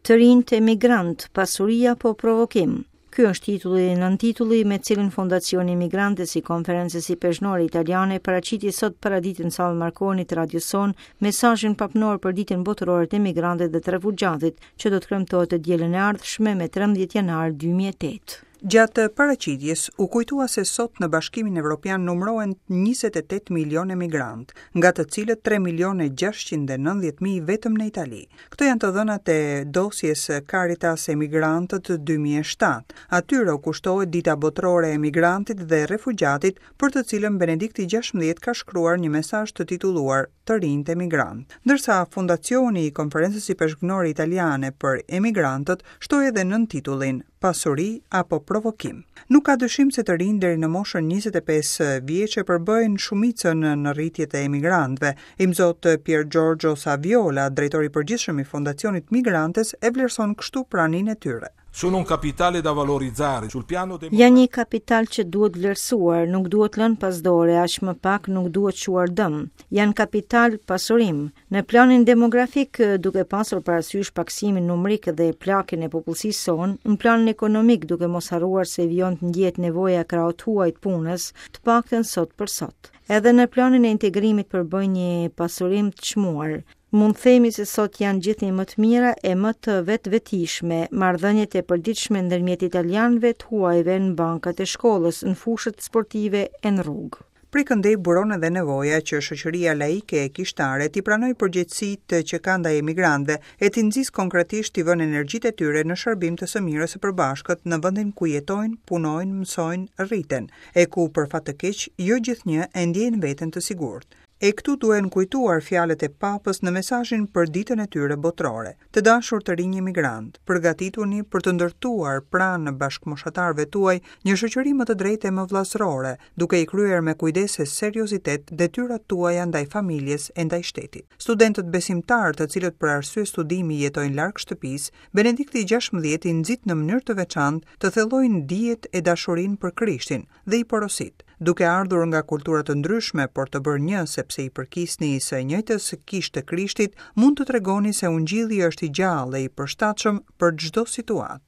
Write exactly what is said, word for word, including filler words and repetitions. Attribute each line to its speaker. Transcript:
Speaker 1: Të rinjtë emigrantë, pasuri apo provokim? Ky është titulli dhe nëntitulli me cilin Fondacioni Migrantes i Konferencës Ipeshkvnore Italiane paraqiti sot paradite në sallën Marconi të radios sonë mesazhin papnor për Ditën Botërore të Emigrantit dhe të Refugjatit, që do të kremtohet të dielën e ardhshme me trembëdhjetë janar dy mijë e tetë.
Speaker 2: Gjatë paraqitjes u kujtua se sot në Bashkimin Evropian numërohen njëzet e tetë milion emigrant, nga të cilët tre milion e gjashtëqind e nëntëdhjetë mijë vetëm në Itali. Këto janë të dhënat e dosjes Caritas Emigrantët dy mijë e shtatë. Atyre u kushtohet Dita Botërore e Emigrantit dhe Refugjatit, për të cilën Benedikti gjashtëmbëdhjetë ka shkruar një mesazh të titulluar "Të rinjtë emigrant". Ndërsa Fondacioni i Konferencës Ipeshkvnore Italiane për Emigrantët shtoi edhe nën titullin "Pasuri apo provokim". Nuk ka dyshim se të rinj deri në moshën njëzet e pesë vjeçe përbëjnë shumicën në rritje të emigrantëve. Imzot Pier Giorgio Saviola, drejtori i përgjithshëm i Fondacionit Migrantes, e vlerëson kështu praninë e tyre.
Speaker 3: Sono un capitale da valorizzare sul piano
Speaker 1: Janë një kapital që duhet vlerësuar, nuk duhet lënë pas dore, aq më pak nuk duhet çuar dëm. Janë kapital pasurim. Në planin demografik, duke pasur parasysh paksimin numrik dhe plakjen e popullsisë sonë, në planin ekonomik, duke mos harruar se vijon të ndjehet nevoja e krahut huaj të punës, të paktën sot për sot. Edhe në planin e integrimit përbëjnë një pasurim të çmuar. Mund themi se sot janë gjithnjë më të mira e më të vetvetishme marrëdhëniet e përditshme ndërmjet italianëve të huajve në bankat e shkollës, në fushët sportive e në rrugë.
Speaker 2: Prej këndej buron edhe nevoja që shoqëria laike e kishtare t'i pranojë përgjegjësitë që ka ndaj emigrantëve e t'i nxisë konkretisht t'i vënë energjitë e tyre në shërbim të së mirës së përbashkët në vendin ku jetojnë, punojnë, mësojnë, rriten, e ku për fat të keq jo gjithnjë e ndjejnë veten të sigurt. E këtu duhen kujtuar fjalët e Papës në mesazhin për ditën e tyre botërore. "Të dashur të rinj emigrant, përgatituni për të ndërtuar pranë bashkëmoshatarëve tuaj një shoqëri më të drejtë e më vëllazërore, duke i kryer me kujdes e seriozitet detyrat tuaja ndaj familjes e ndaj shtetit." Studentët besimtar, të cilët për arsye studimi jetojnë larg shtëpisë, Benedikti gjashtëmbëdhjetë i nxit në mënyrë të veçantë të thellojnë dijet e dashurinë për Krishtin dhe i porosit: "Duke ardhur nga kultura të ndryshme, por të bërë një sepse i përkisni së njëjtës kishë të Krishtit, mund të tregoni se Ungjilli është i gjallë e i përshtatshëm për çdo situatë."